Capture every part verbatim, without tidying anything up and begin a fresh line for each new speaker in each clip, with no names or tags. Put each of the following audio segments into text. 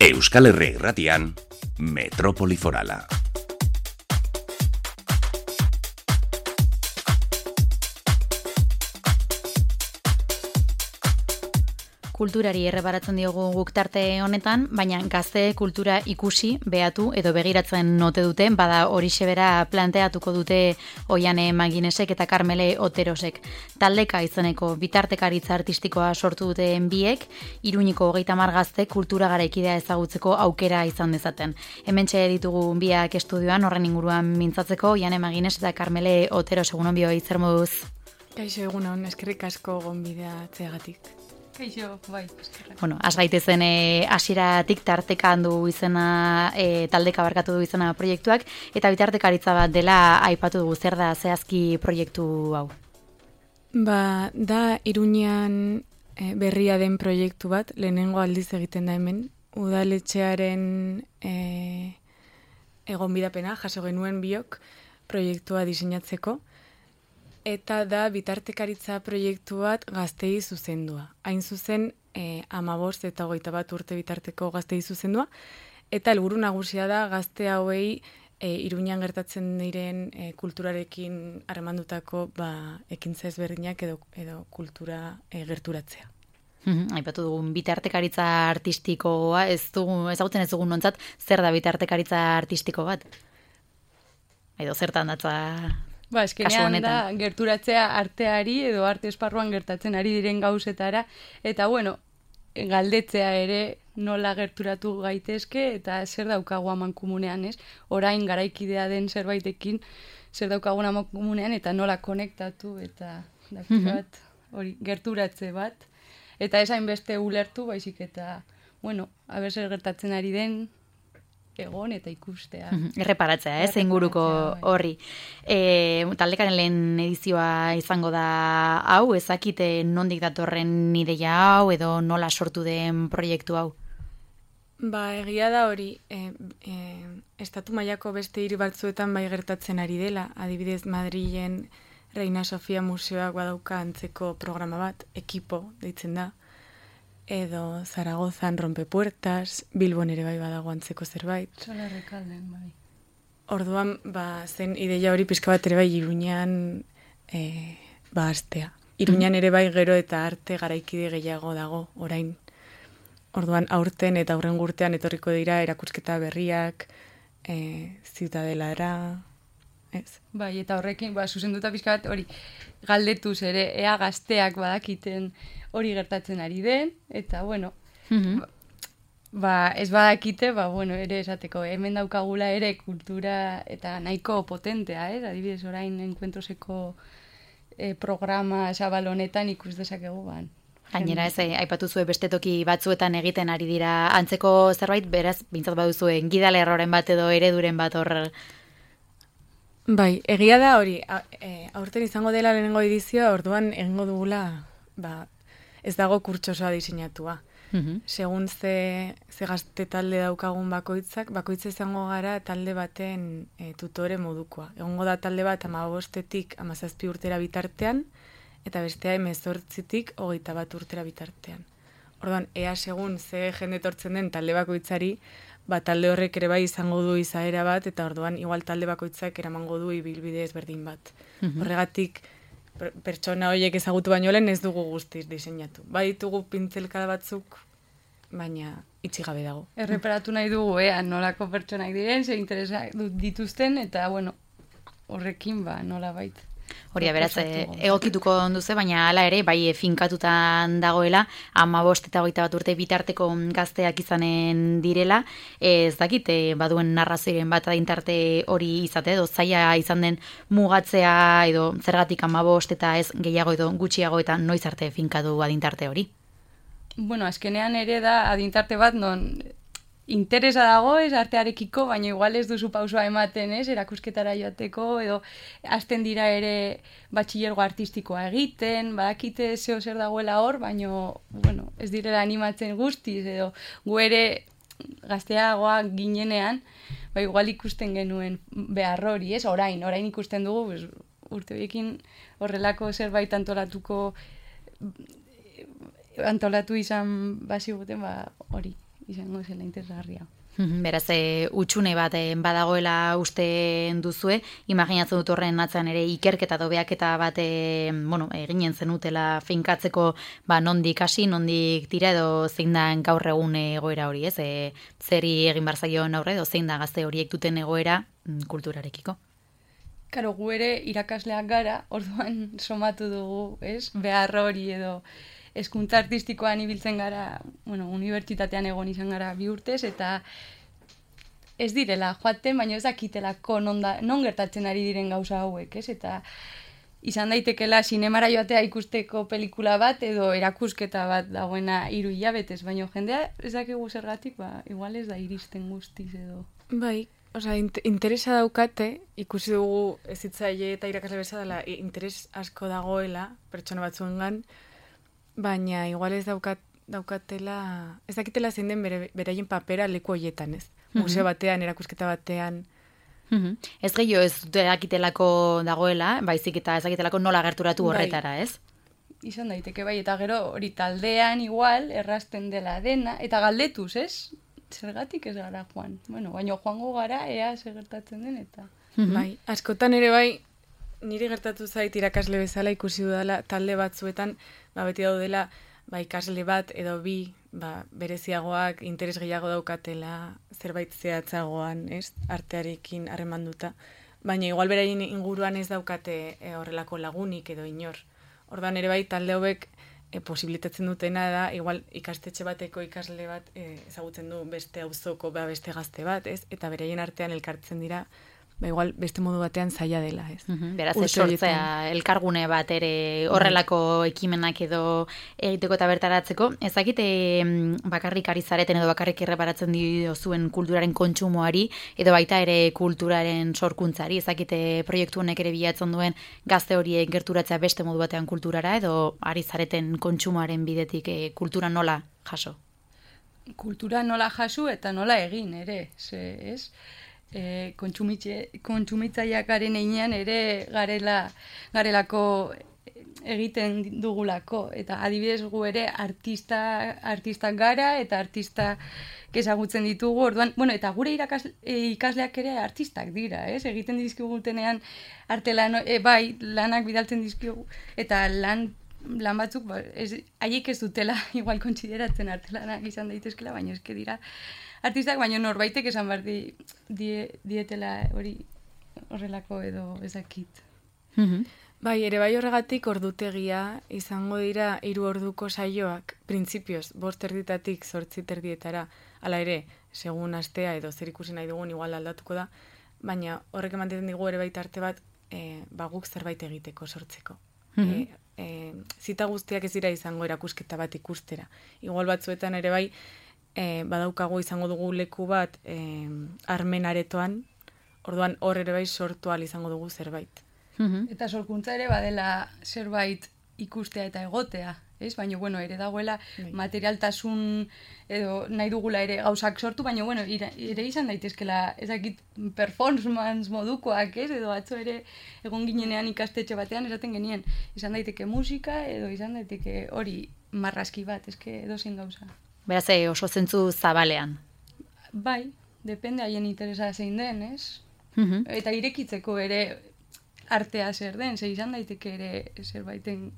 Euskal Herria Irratian, Metropoli Forala.
Kulturari errebaratzen diogu guk tarte honetan, baina gazte kultura ikusi, behatu edo begiratzen note dute, bada horixe bera planteatuko dute Oiane Maginesek eta Karmele Oterosek. Taldeka izeneko bitartekaritza artistikoa sortu duten biek, Iruñeko hogeita hamar gazte kultura garaikidea ezagutzeko aukera izan dezaten. Hementxe ditugu biak estudioan, horren inguruan mintzatzeko, Oiane Magines eta Karmele Oteros, egunon bioi, zer moduz?
Kaixo, egunon, eskerrik asko gonbidea atzeagatik.
Kaixo, bai, eskerrak.
Bueno, has gaitezen e, hasieratik tarteka handu izena, e, taldeka barkatu du izena proiektuak, eta bitartekaritza bat dela aipatu dugu, zer da zehazki proiektu hau?
Ba, da Iruñean e, berria den proiektu bat, lehenengo aldiz egiten da hemen, udaletxearen e, egonbidapena, jaso genuen biok, proiektua diseinatzeko, eta da bitartekaritza proiektu bat gaztei zuzendua. Hain zuzen, eh, amabost eta hogeita bat urte bitarteko gaztei zuzendua, eta helburu nagusia da gazte hauei e, Iruñean gertatzen diren e, kulturarekin harremandutako ba, ekintza ezberdinak edo, edo kultura e, gerturatzea.
Mm-hmm. Aipatu dugun bitartekaritza artistikoa, ez dugu, ezagutzen ez dugun nontzat, zer da bitartekaritza artistiko bat? Edo zertan datza...
Ba, eskenean da, gerturatzea arteari edo arte esparruan gertatzen ari diren gauzetara, eta bueno, galdetzea ere nola gerturatu gaitezke, eta zer daukagu amankomunean, ez? Orain garaikidea den zerbaitekin, zer daukagun amankomunean, eta nola konektatu, eta bat, hori, gerturatze bat, eta esain beste ulertu, baizik eta, bueno, aber zer gertatzen ari den, egon eta ikustea.
Erreparatzea, ez, inguruko horri. E, taldekaren lehen edizioa izango da hau, ezakite nondik datorren ideia hau, edo nola sortu den proiektu hau?
Ba, egia da hori, e, e, estatu mailako beste hiri batzuetan bai gertatzen ari dela, adibidez Madrilen Reina Sofia Museoak badauka antzeko programa bat, ekipo deitzen da, edo Zaragozan Rompepuertas, Bilbon ere bai badago antzeko zerbait.
Zola Rekalden, bai.
Orduan, ba, zen ideia hori pixka bat ere bai Iruñean e, ba, astea. Iruñean ere bai gero eta arte garaikide gehiago dago, orain. Orduan, aurten eta aurren urtean etorriko dira erakusketa berriak, e, ziutadelara, ez?
Bai, eta horrekin, ba, zuzenduta pixka bat hori galdetuz ere, ea gazteak badakiten hori gertatzen ari den, eta, bueno, mm-hmm. ba, ez badakite, ba, bueno, ere esateko, hemen daukagula ere kultura eta nahiko potentea, eh? Adibidez, orain enkuentroseko eh, programa zabal honetan ikus dezakegu, ban.
Gainera, ez, eh, aipatu zuen beste toki batzuetan egiten ari dira antzeko zerbait, beraz, bintzat baduzuen gidalerroren bat edo ereduren bat hor...
Bai, egia da hori, a, e, aurten izango dela lehenengo edizioa, orduan egingo dugula, ba, ez dago kurtsosoa diseinatua. Mm-hmm. Segun ze, ze gazte talde daukagun bakoitzak, bakoitza izango gara talde baten e, tutore modukoa. Egongo da talde bat hamabostetik hamazazpi urtera bitartean, eta bestea hemezortzitik hogeita bat urtera bitartean. Orduan, ea segun ze jende etortzen den talde bakoitzari, ba, talde horrek ere bai izango du izaera bat, eta orduan igual talde bakoitzak eramango du ibilbide ezberdin bat. Mm-hmm. Horregatik, per, pertsona horiek ezagutu baino lehen ez dugu guztiz diseinatu. Bai ditugu pintzelkada batzuk, baina itxi gabe dago.
Erreparatu nahi dugu, ea, nolako pertsonak diren, ze interesa dituzten, eta, bueno, horrekin, ba, nola bait.
Hori, beraz, egokituko onduze, baina hala ere, bai finkatutan dagoela, hamabost eta hogeita bat urte bitarteko gazteak izanen direla, ez dakit, baduen narrazioaren bat adintarte hori izate, edo zaila izan den mugatzea, edo zergatik hamabost eta ez gehiago edo gutxiago eta noiz arte finkatu adintarte hori?
Bueno, azkenean ere da adintarte bat, non... interesa dago ez artearekiko, baina igual ez duzu pausoa ematen, ez, erakusketara joateko, edo hasten dira ere batxilergo artistikoa egiten, badakite zeo zer dagoela hor, baina, bueno, ez direla animatzen guztiz, edo gu ere gazteagoa ginenean, ba, igual ikusten genuen behar hori, ez, orain, orain ikusten dugu, pues, urte horiekin horrelako zerbait antolatuko, antolatu izan baziguten, ba, hori. izango zela interesgarria.
Beraz, e, utxune bat e, badagoela uste duzue, imaginatzen dut horren atzean ere ikerketa dobeaketa bat e, bueno, eginen zenutela finkatzeko ba, nondik hasi, nondik tira edo zein da gaur egun egoera hori, ez? E, zeri egin barzaion aurre edo zein da gazte horiek duten egoera mm, kulturarekiko?
Karo, gu ere irakasleak gara, orduan somatu dugu, ez? Behar hori edo hezkuntza artistikoan ibiltzen gara, bueno, unibertsitatean egon izan gara bi urtez, eta ez direla joaten, baina ez dakitelako non, da, non gertatzen ari diren gauza hauek, ez? Eta izan daitekela sinemara joatea ikusteko pelikula bat, edo erakusketa bat dagoena hiru hilabetez, baina jendea ez dakigu zergatik, ba, igual ez da iristen guztiz edo.
Bai, osea, interesa daukate, ikusi dugu ezitzaile eta irakasle bezala interes asko dagoela, pertsona batzuengan, baina igual ez daukat, daukatela, ez dakitela zein den bere, beraien papera leku hoietan, ez? Museo batean, erakusketa batean.
Mm-hmm. Ez gehiago ez dakitelako dagoela, baizik eta ez dakitelako nola gerturatu horretara, ez?
Izan daiteke bai, eta gero hori taldean igual, errasten dela dena, eta galdetuz, ez? Zergatik ez gara joan. Bueno, baina joango gara, ea zer gertatzen den, eta...
Mm-hmm. Bai, askotan ere bai, niri gertatu zait irakasle bezala ikusi dudala talde batzuetan, ba, beti daudela, ba, ikasle bat edo bi, ba, bereziagoak, interes gehiago daukatela, zerbait zehatzagoan, ez, artearekin harremanduta, baina igual beraien inguruan ez daukate e, horrelako lagunik edo inor. Ordan ere bai, talde hauek e, posibilitatzen dutena da, igual ikastetxe bateko ikasle bat e, ezagutzen du beste auzoko, ba, beste gazte bat, ez, eta beraien artean elkartzen dira, ba, igual beste modu batean zaila dela, ez.
Uh-huh. Beraz, ez sortzea elkargune bat ere horrelako ekimenak edo egiteko eta bertaratzeko. Ezakite bakarrik ari zareten edo bakarrik erreparatzen diozuen kulturaren kontsumoari edo baita ere kulturaren sorkuntzari. Ezakite proiektu honek ere bilatzen duen gazte horiek gerturatzea beste modu batean kulturara edo ari zareten kontsumoaren bidetik e, kultura nola jaso?
Kultura nola jaso eta nola egin ere, ze, ez? E, kontsumitzaileak garen einean ere garela, garelako egiten dugulako. Eta adibidez gu ere artista, artistak gara eta artista ezagutzen ditugu. Orduan, bueno, eta gure irakasle, ikasleak ere artistak dira, ez? Egiten dizkigutenean artelan, e, bai, lanak bidaltzen dizkigu, eta lan lan batzuk, ba, ez, haiek ez dutela igual kontsideratzen artelanak izan daitezkela, baina eske dira artistak, baina norbaitek esan behar di, die, dietela hori horrelako edo ezakit.
Mm-hmm. Bai, ere bai horregatik ordutegia izango dira hiru orduko saioak, printzipioz, bost erditatik zortzi terdietara, hala ere, segun astea edo zer ikusi nahi dugun igual aldatuko da, baina horrek ematen digu ere baita arte bat, e, ba guk zerbait egiteko sortzeko. Mm-hmm. e, e, zita guztiak ez dira izango erakusketa bat ikustera. Igual batzuetan ere bai, E, badaukago izango dugu leku bat e, armen aretoan, orduan hor ere bai sortu ahal izango dugu zerbait.
Mm-hmm. Eta sorkuntza ere badela zerbait ikustea eta egotea, ez? Baina, bueno, ere dagoela Bai. materialtasun edo nahi dugula ere gauzak sortu, baina, bueno, ire, ere izan daitezkela ezakit performance modukoak, ez? Edo atzo ere egon ginenean ikastetxe batean esaten genien, izan daiteke musika edo izan daiteke hori marrazki bat, eske edozein gauza.
Beraz, oso zentzu zabalean.
Bai, depende haien interesa zein den, ez?
Mm-hmm.
Eta irekitzeko ere artea zer den, ze izan daiteke ere zerbaiten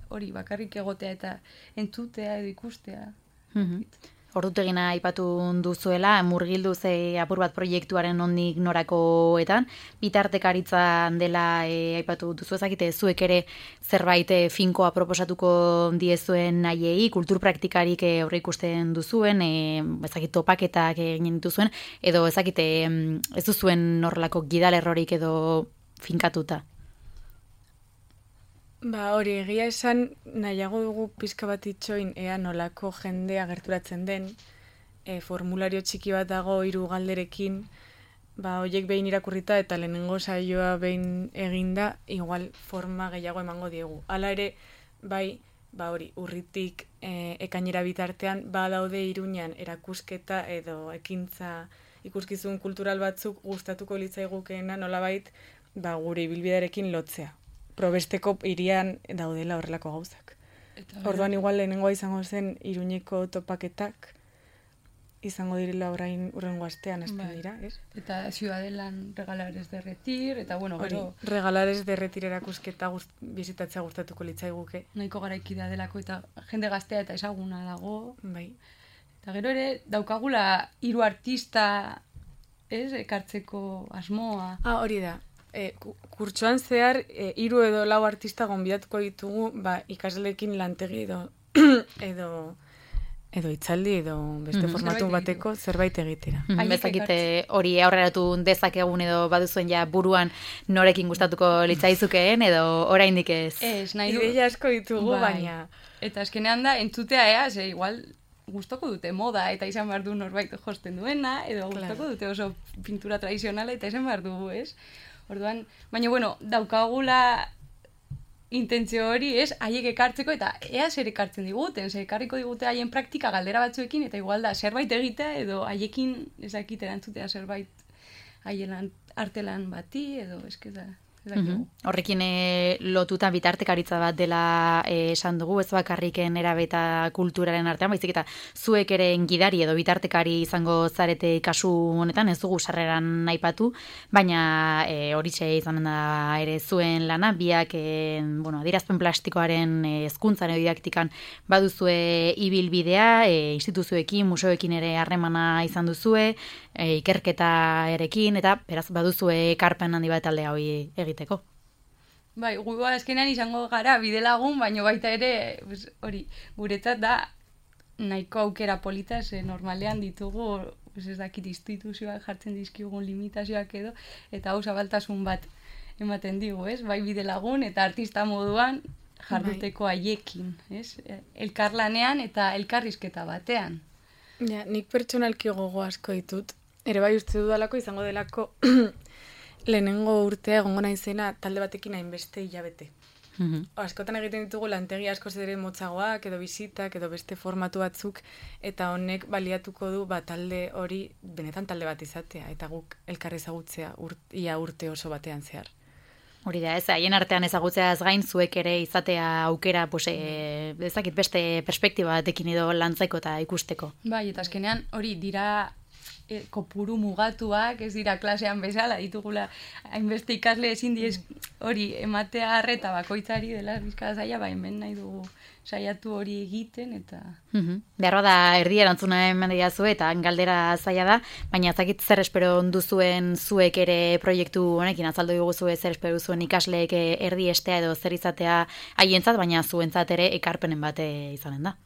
hori bakarrik egotea eta entzutea edo ikustea.
Mm-hmm. Ordutegina aipatu duzuela, murgildu ze apur bat proiektuaren nondik norakoetan, bitartekaritza dela e, aipatu duzu ezakite zuek ere zerbait e, finkoa proposatuko diezuen nahiei, kultur praktikarik e, aurre ikusten duzuen, e, ezakit topaketak egin dituzuen, edo ezakite ez duzuen horrelako gidalerrorik edo finkatuta.
Ba, hori, egia esan nahiago dugu pizka bat itxoin ea nolako jendea gerturatzen den, e, formulario txiki bat dago hiru galderekin, ba, horiek behin irakurrita eta lehenengo saioa behin eginda, igual forma gehiago emango diegu. Hala ere, bai, ba hori, urritik e, ekainera bitartean, ba daude Iruñan erakusketa edo ekintza ikuskizun kultural batzuk gustatuko litzaigukeena nolabait, ba, gure ibilbidearekin lotzea. Probesteko irian daudela horrelako gauzak. Eta, orduan igual lehenengoa izango zen Iruñeko topaketak, izango direla orain urrengo astean hasten bai. Dira, ez?
Eta Ciudadelan regalares de retir, eta bueno, gero...
Regalares de retir erakusketa gust, bizitatzea gustatuko litzaiguke.
Nahiko garaikida delako eta jende gaztea eta ezaguna dago.
Bai.
Eta gero ere, daukagula hiru artista, ez, ekartzeko asmoa.
Ah, hori da. E, kurtsoan zehar, e, hiru edo lau artista gonbidatuko ditugu, ba, ikasleekin lantegi edo... edo... edo itzaldi, edo beste mm-hmm. formatu zerbait bateko zerbait egitera.
Mm-hmm. Bezakite hori aurreratu dezakegun edo baduzuen ja buruan norekin gustatuko litzaizukeen edo oraindik ez.
Ez, nahi du.
Ideia asko ditugu, bai. Baina.
Eta azkenean da, entzutea ea, ze igual gustoko dute moda eta izan behar du norbait josten duena, edo gustoko claro. Dute oso pintura tradizionala eta izan behar dugu, ez? Orduan, baina bueno, daukagula intentzio hori, ez, haiek ekartzeko eta ea zer ekartzen diguten, zer ekarriko digute haien praktika galdera batzuekin eta igual da zerbait egitea edo haiekin ezakit erantzutea zerbait haien artelan bati edo eske da.
Mm-hmm. Horrekin e, lotuta bitartekaritza bat dela e, esan dugu, ez bakarriken erabe eta kulturaren artean, baizik eta zuek ere gidari edo bitartekari izango zarete kasu honetan, ez dugu sarreran aipatu, baina e, horitxe izanen da ere zuen lana, biak e, bueno, adierazpen plastikoaren e, hezkuntzan edo didaktikan baduzue ibilbidea, e, instituzioekin, museoekin ere harremana izan duzue, e, ikerketarekin, eta beraz baduzue ekarpen handi bat aldea hori egiteko.
Bai, gu azkenean izango gara bidelagun, baina baita ere, hori, guretzat da nahiko aukera polita, ze normalean ditugu, ez dakit instituzioak jartzen dizkigun limitazioak edo, eta hau zabaltasun bat ematen digu, ez? Bai bidelagun eta artista moduan jarduteko haiekin, ez? Elkarlanean eta elkarrizketa batean.
Ja, nik pertsonalki gogo asko ditut, ere bai uste dudalako izango delako lehenengo urtea egongo naizena talde batekin hainbeste hilabete. Mm-hmm. Askotan egiten ditugu lantegi asko zere motzagoak, edo bizitak, edo beste formatu batzuk, eta honek baliatuko du ba, talde hori benetan talde bat izatea, eta guk elkar ezagutzea urt, ia urte oso batean zehar.
Hori da, ez, haien artean ezagutzeaz gain zuek ere izatea aukera, pues, e, ezakit beste perspektiba batekin edo lantzaiko eta ikusteko.
Bai, eta azkenean hori dira e, kopuru mugatuak, ez dira klasean bezala, ditugula hainbeste ikasle ezin diez hori ematea arreta bakoitzari dela bizkada zaila, ba, hemen nahi dugu saiatu hori egiten, eta...
Mm-hmm. Beharra da, erdi erantzuna eman diazu eta galdera zaila da, baina ezakit zer espero duzuen zuek ere proiektu honekin, azaldu diguzu zer espero duzuen ikasleek erdi estea edo zer izatea haientzat, baina zuentzat ere ekarpenen bate izanen da.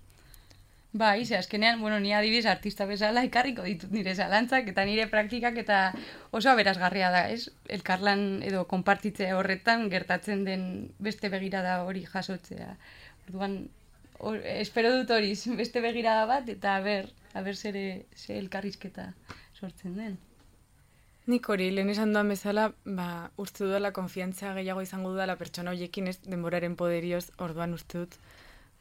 Bai, ze azkenean, bueno, ni adibidez artista bezala ekarriko ditut nire zalantzak eta nire praktikak eta oso aberasgarria da, ez? Elkarlan edo konpartitze horretan gertatzen den beste begirada hori jasotzea. Orduan, or, espero dut hori, beste begirada bat eta aber, aber zere ze elkarrizketa sortzen den.
Nik hori, lehen esan duan bezala, ba, uste dudala konfiantza gehiago izango dudala pertsona horiekin, ez denboraren poderioz, orduan uste dut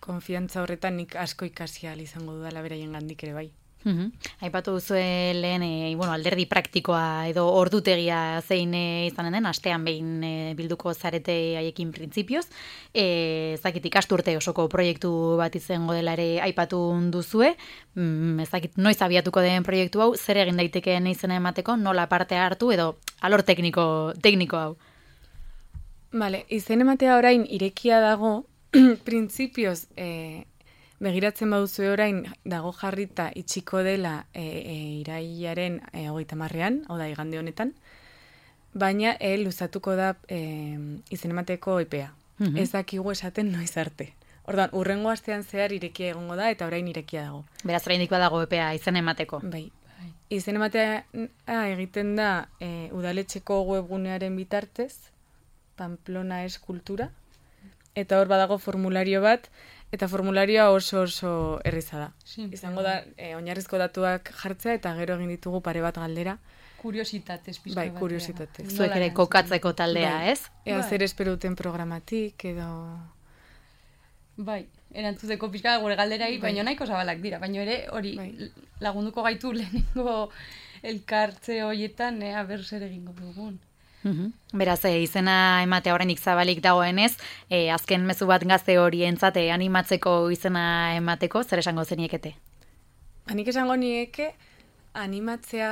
konfiantza horretan nik asko ikasial izango dudala beraien gandik ere bai.
Mm-hmm. Aipatu duzue lehen e, bueno, alderdi praktikoa edo ordutegia zein e, izanen den, astean behin e, bilduko zarete haiekin printzipioz. E, ezakit ikasturte osoko proiektu bat izango dela ere aipatu duzue. Mm, ezakit noiz abiatuko den proiektu hau, zer egin daitekeen izena emateko, nola parte hartu edo alor tekniko, tekniko hau.
Vale, izen ematea orain irekia dago, printzipioz e, begiratzen baduzu orain dago jarrita itxiko dela e, e, irailaren e, hogeita marrean, hau da igande honetan, baina e, luzatuko da e, izen emateko epea. Mm-hmm. Ez dakigu esaten noiz arte. Orduan, urrengo astean zehar irekia egongo da eta orain irekia dago.
Beraz, oraindik badago epea izen emateko.
Bai. Izen ematea ah, egiten da e, udaletxeko webgunearen bitartez, Pamplona es kultura, eta hor badago formulario bat, eta formularioa oso oso erraza da. Simple. Izango da, e, oinarrizko datuak jartzea, eta gero egin ditugu pare bat galdera.
Kuriositatez pizka
bai,
bat.
Bai, kuriositatez.
Zuek ere kokatzeko taldea, bai. Ez?
Ea
bai.
Zer espero duten programatik, edo...
Bai, erantzuteko pizka gure galderai, bai. Baina nahiko zabalak dira, baina ere hori bai. Lagunduko gaitu lehenengo elkartze horietan, ea ber zer egingo dugun.
Uhum. Beraz, e, izena ematea oraindik zabalik dagoenez, e, azken mezu bat gazte horientzat e, animatzeko izena emateko, zer esango zeniekete?
Hanik esango nieke, animatzea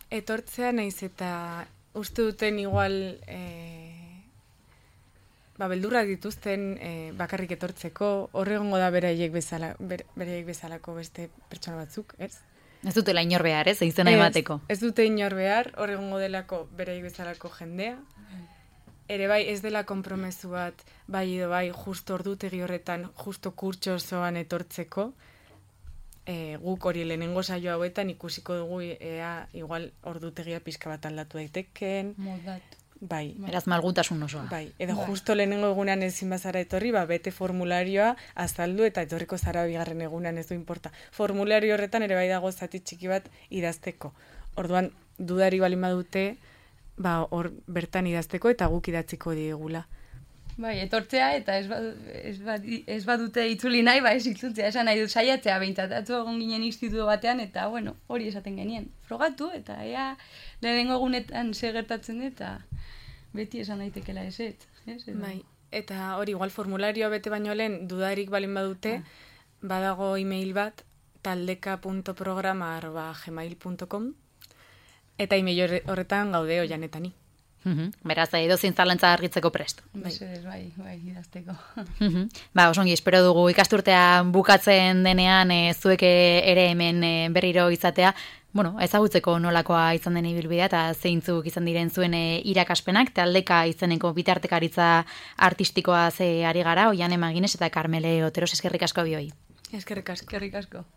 etortzea naiz eta uste duten igual e, ba, beldurrak dituzten e, bakarrik etortzeko, horregongo da beraiek bezala, ber, beraiek bezalako beste pertsona batzuk, ez?
Ez dutela inor behar, ez? Izena emateko.
Ez dute inor behar, horregongo delako beraiek bezalako jendea. Ere bai, ez dela konpromesu bat, bai edo bai, justo ordutegi horretan, justo kurtso osoan etortzeko, e, guk hori lehenengo saio hauetan ikusiko dugu ea igual ordutegia pixka bat aldatu daiteken.
Modatu.
Bai.
Beraz malgutasun osoa.
Bai, edo
bai.
Justo lehenengo egunean ezin bazara etorri, ba, bete formularioa azaldu eta etorriko zara bigarren egunean ez du importa. Formulario horretan ere bai dago zati txiki bat idazteko. Orduan, dudari balin badute, ba, hor bertan idazteko eta guk idatziko diegula.
Bai, etortzea eta ez, bad, ez, bad, ez badute itzuli nahi, ba ez itzultzea, esan nahi dut saiatzea behintzat, atzo egon ginen instituto batean, eta bueno, hori esaten genien. Frogatu, eta ea lehenengo egunetan ze gertatzen dut, eta beti esan daitekela ez ez. ez
Bai, eta hori igual formularioa bete baino lehen dudarik balin badute, ah. badago e-mail bat, taldeka punto programa arroba gmail punto com, eta e-mail horretan gaude oianetani.
Uhum. Beraz, edo zintzalantza argitzeko prest.
Bai, bai, bai, idazteko.
Uhum. Ba, osongi, espero dugu ikasturtea bukatzen denean e, zuek ere hemen e, berriro izatea, bueno, ezagutzeko nolakoa izan den ibilbidea eta zeintzuk izan diren zuen e, irakaspenak, taldeka izeneko bitartekaritza artistikoa ze ari gara, Oiane Magines eta Karmele Oteros, eskerrik asko bioi.
Eskerrik asko.
Eskerrik asko.